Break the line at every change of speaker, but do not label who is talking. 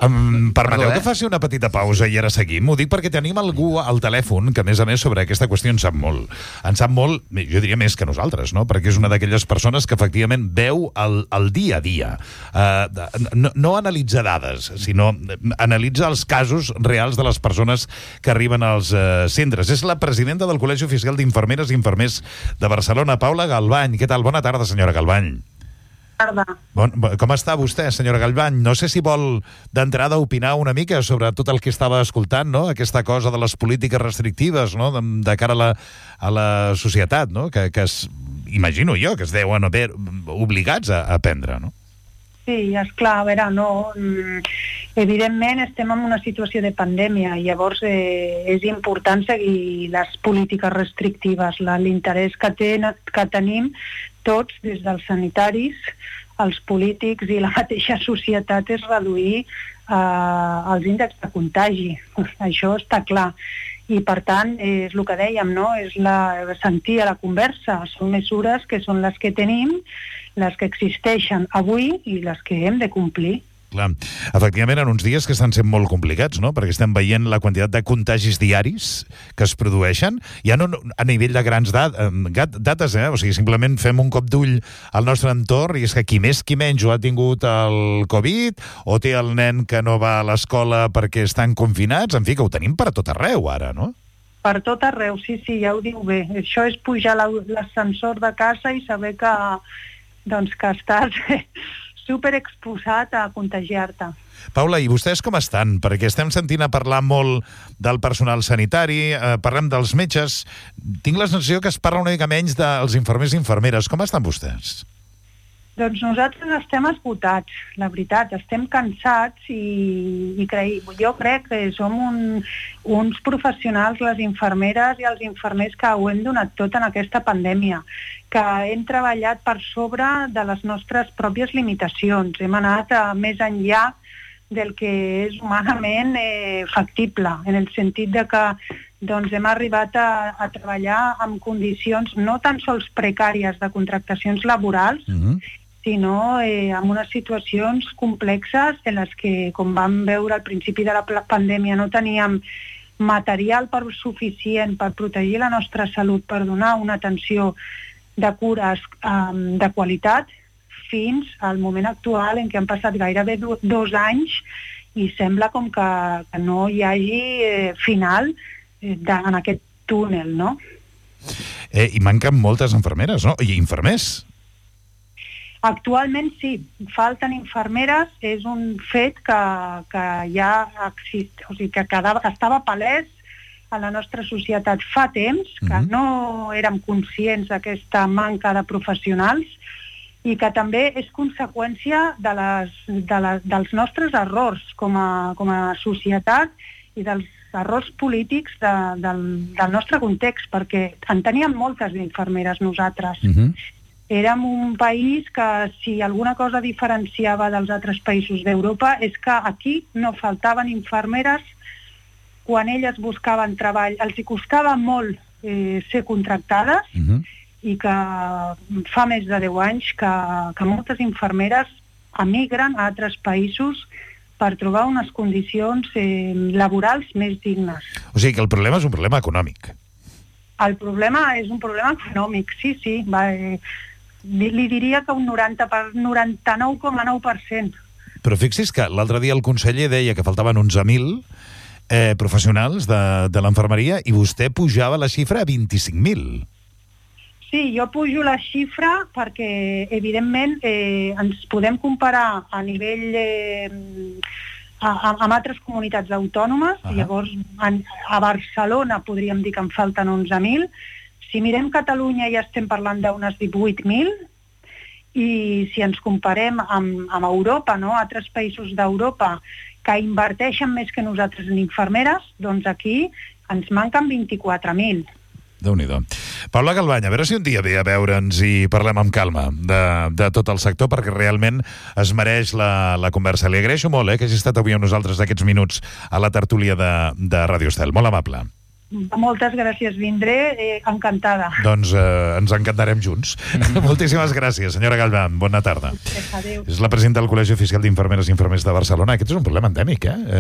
Permeteu que faci una petita pausa i ara seguim. Ho dic perquè tenim algú al telèfon que, a més, sobre aquesta qüestió en sap molt. En sap molt, jo diria més que nosaltres, no? Perquè és una d'aquelles persones que efectivament veu el dia a dia. No analitza dades, sinó analitza els casos reals de les persones que arriben als centres. És la presidenta del Col·legi Oficial d'Infermeres i Infermers de Barcelona, Paula Galvany. Què tal? Bona tarda, senyora Galvany. Com està vostè, senyora Galvany? No sé si vol d'entrada opinar una mica sobre tot el que estava escoltant, no? Aquesta cosa de les polítiques restrictives, no? De cara a la societat, no? Que imagino jo que es deuen haver obligats a prendre, no?
Sí, esclar, a veure, no... Evidentment estem en una situació de pandèmia i llavors és important seguir les polítiques restrictives. L'interès que tenim tots, des dels sanitaris, els polítics i la mateixa societat, és reduir els índexs de contagi. Això està clar. I, per tant, és el que dèiem, no? És sentir a la conversa. Són mesures que són les que tenim, les que existeixen avui i les que hem de complir.
Clar. Efectivament, en uns dies que estan sent molt complicats, no? Perquè estem veient la quantitat de contagis diaris que es produeixen, ja no a nivell de grans dates, o sigui, simplement fem un cop d'ull al nostre entorn i és que qui més qui menys ho ha tingut el Covid, o té el nen que no va a l'escola perquè estan confinats, en fi, que ho tenim per tot arreu ara, no?
Per tot arreu, sí, ja ho diu bé. Això és pujar l'ascensor de casa i saber que estàs superexposat a contagiar-te.
Paula, i vostès com estan? Perquè estem sentint a parlar molt del personal sanitari, parlem dels metges. Tinc la sensació que es parla una mica menys dels infermers i infermeres. Com estan vostès?
Doncs nosaltres estem esgotats, la veritat. Estem cansats i jo crec que som uns professionals, les infermeres i els infermers, que ho hem donat tot en aquesta pandèmia, que hem treballat per sobre de les nostres pròpies limitacions. Hem anat més enllà del que és humanament factible, en el sentit de que hem arribat a treballar en condicions no tan sols precàries de contractacions laborals, sinó en unes situacions complexes en les que, com vam veure al principi de la pandèmia, no teníem material suficient per protegir la nostra salut, per donar una atenció de cures de qualitat, fins al moment actual en què han passat gairebé 2 anys i sembla com que no hi hagi final en aquest túnel, no?
I manquen moltes infermeres, no? I infermers.
Actualment sí, falten infermeres, és un fet que ja existeix, o sigui, que estava palès a la nostra societat fa temps, que no érem conscients d'aquesta manca de professionals i que també és conseqüència dels nostres errors com a societat i dels errors polítics del nostre context, perquè en teníem moltes d'infermeres nosaltres. Érem un país que, si alguna cosa diferenciava dels altres països d'Europa, és que aquí no faltaven infermeres quan elles buscaven treball. Els hi costava molt ser contractades i que fa més de 10 anys que moltes infermeres emigren a altres països per trobar unes condicions laborals més dignes.
O sigui que el problema és un problema econòmic.
El problema és un problema econòmic, sí. Li diria que un 99,9%.
Però fixi's que l'altre dia el conseller deia que faltaven 11.000 professionals de l'enfermeria i vostè pujava la xifra a 25.000.
Sí, jo pujo la xifra perquè, evidentment, ens podem comparar a nivell amb altres comunitats autònomes. Llavors, a Barcelona podríem dir que en falten 11.000. Si mirem Catalunya ja estem parlant d'unes 18.000 i si ens comparem amb Europa, no? Altres països d'Europa que inverteixen més que nosaltres en infermeres, doncs aquí ens manquen 24.000.
Déu-n'hi-do. Paula Galvany, a veure si un dia ve a veure'ns i parlem amb calma de tot el sector, perquè realment es mereix la conversa. Li agraeixo molt que hagi estat avui amb nosaltres aquests minuts a la tertúlia de Ràdio Estel. Molt amable.
moltes gràcies, vindré, encantada.
Doncs ens encantarem junts. Moltíssimes gràcies, senyora Galván. Bona tarda.
Adéu.
És la presidenta del Col·legi Oficial d'Infermeres i Infermers de Barcelona. Aquest és un problema endèmic,